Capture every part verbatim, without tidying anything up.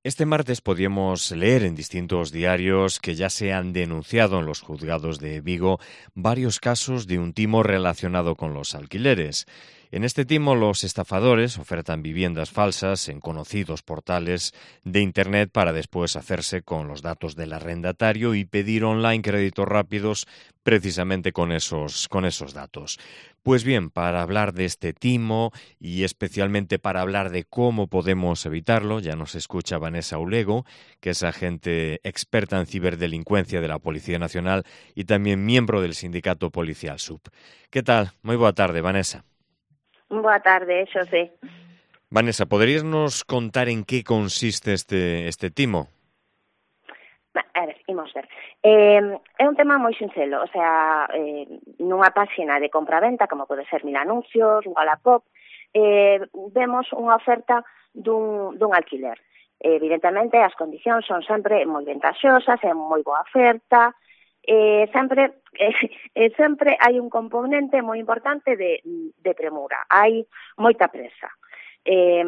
Este martes podíamos leer en distintos diarios que ya se han denunciado en los juzgados de Vigo varios casos de un timo relacionado con los alquileres. En este timo los estafadores ofertan viviendas falsas en conocidos portales de Internet para después hacerse con los datos del arrendatario y pedir online créditos rápidos precisamente con esos, con esos datos. Pues bien, para hablar de este timo y especialmente para hablar de cómo podemos evitarlo, ya nos escucha Vanessa Ulego, que es agente experta en ciberdelincuencia de la Policía Nacional y también miembro del sindicato policial S U P. ¿Qué tal? Muy boa tarde, Vanessa. Boa tarde, Xosé. Vanessa, ¿poderías nos contar en qué consiste este, este timo? A ver, imos ver. Eh, é un tema moi sinxelo, o sea, eh, nunha páxina de compra-venta, como pode ser Mil Anuncios, Wallapop, eh, vemos unha oferta dun, dun alquiler. Eh, evidentemente, as condicións son sempre moi ventaxosas, é moi boa oferta, eh, sempre eh, eh, sempre hai un componente moi importante de, de premura, hai moita presa. Eh,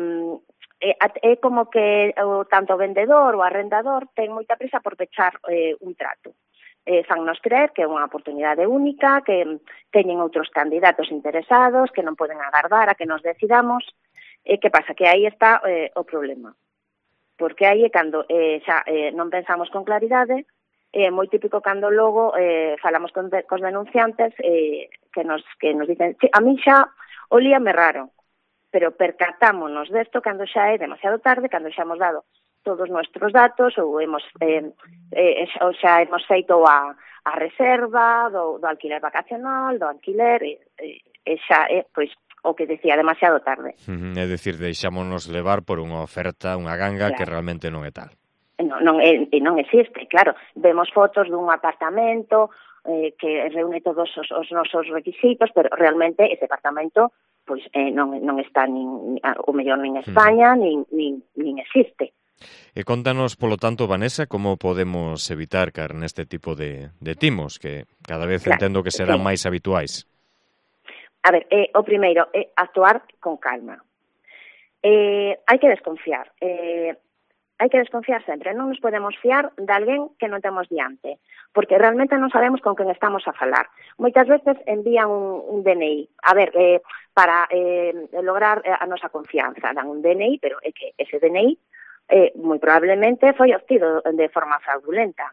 é como que o tanto o vendedor ou o arrendador ten moita prisa por pechar eh, un trato. Eh, fannos creer que é unha oportunidade única, que teñen outros candidatos interesados, que non poden agardar a que nos decidamos. E eh, que pasa? Que aí está eh, o problema. Porque aí é cando eh, xa eh, non pensamos con claridade, é eh, moi típico cando logo eh, falamos con de, cos denunciantes eh, que nos que nos dicen, a mí xa olíame raro, pero percatámonos desto cando xa é demasiado tarde, cando xa hemos dado todos os nuestros datos ou hemos eh, eh, ou xa hemos feito a, a reserva do, do alquiler vacacional, do alquiler, e, e xa é, pois, o que decía, demasiado tarde. Uh-huh. É dicir, deixámonos levar por unha oferta, unha ganga, claro, que realmente non é tal. Non, non, e, non existe, claro. Vemos fotos dun apartamento eh, que reúne todos os, os nosos requisitos, pero realmente ese apartamento pois eh, non, non está nin, o mellor nin España, nin, nin, nin existe. E contanos, polo tanto, Vanessa, como podemos evitar caer neste tipo de, de timos, que cada vez claro, entendo que serán sí. máis habituais. A ver, eh, o primeiro é actuar con calma. Eh, hai que desconfiar. Eh, hai que desconfiar sempre. Non nos podemos fiar de alguén que non temos diante, porque realmente non sabemos con quen estamos a falar. Moitas veces envían un, un D N I. A ver, eh, para eh, lograr a nosa confianza, dan un D N I, pero é que ese D N I eh, moi probablemente foi obtido de forma fraudulenta.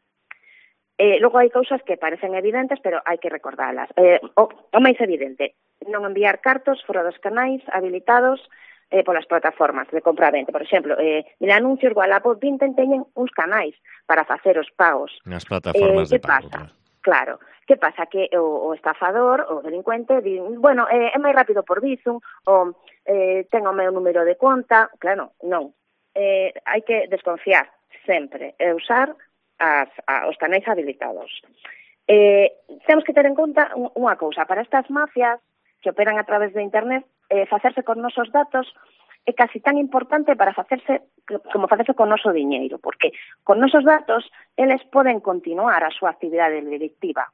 Eh, logo hai cousas que parecen evidentes, pero hai que recordalas. Eh, o, o máis evidente, non enviar cartos fora dos canais habilitados eh, polas plataformas de compra-venta. Por exemplo, eh, Mil Anuncios, Wallapop, Vinted teñen uns canais para facer os pagos. Nas plataformas eh, de pago. Pasa? Claro. Que pasa? Que o, o estafador, o delincuente, di, bueno, eh, é máis rápido por Bizum, ou eh, ten o meu número de conta. Claro, non. Eh, hai que desconfiar sempre e usar as, a, os canais habilitados. Eh, temos que ter en conta unha cousa. Para estas mafias que operan a través de Internet, eh, facerse con nosos datos é casi tan importante para facerse como facerse con noso diñeiro, porque con nosos datos eles poden continuar a súa actividade delictiva.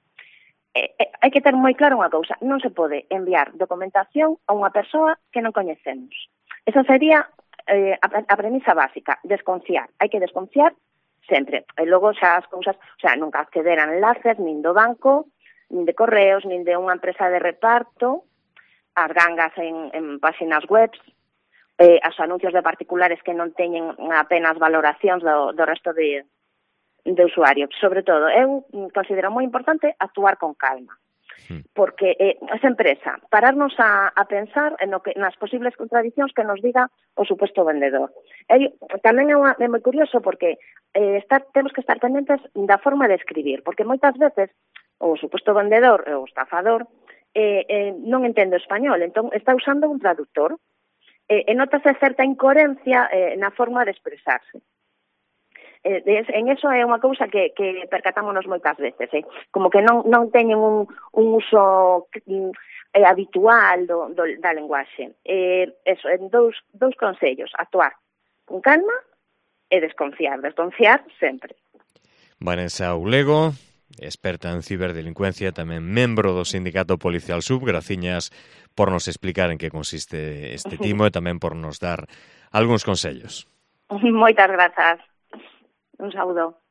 Eh, eh, hai que ter moi claro unha cousa, non se pode enviar documentación a unha persoa que non coñecemos. Esa sería eh, a, a premisa básica, desconfiar. Hai que desconfiar sempre. E logo xa as cousas, o sea, nunca acceder a enlaces, nin do banco, nin de correos, nin de unha empresa de reparto, as gangas en, en páxinas web, eh, os anuncios de particulares que non teñen apenas valoracións do, do resto de, de usuarios. Sobre todo, eu considero moi importante actuar con calma. Porque eh, esa empresa, pararnos a, a pensar en no que, nas posibles contradicións que nos diga o suposto vendedor. E, tamén é, unha, é moi curioso porque eh, está, temos que estar pendentes da forma de escribir, porque moitas veces o suposto vendedor, o estafador, eh, eh, non entende o español, entón está usando un traductor, eh, e notase certa incoherencia eh, na forma de expresarse. Eh, en eso é unha cousa que, que percatámonos moitas veces, eh? Como que non, non teñen un, un uso eh, habitual do, do, da lenguaxe. Eh, eso, en dous, dous consellos, actuar con calma e desconfiar, desconfiar sempre. Vanessa Ulego, experta en ciberdelincuencia, tamén membro do sindicato policial S U P, graciñas por nos explicar en que consiste este timo e tamén por nos dar algúns consellos. Moitas grazas. Un saúdo.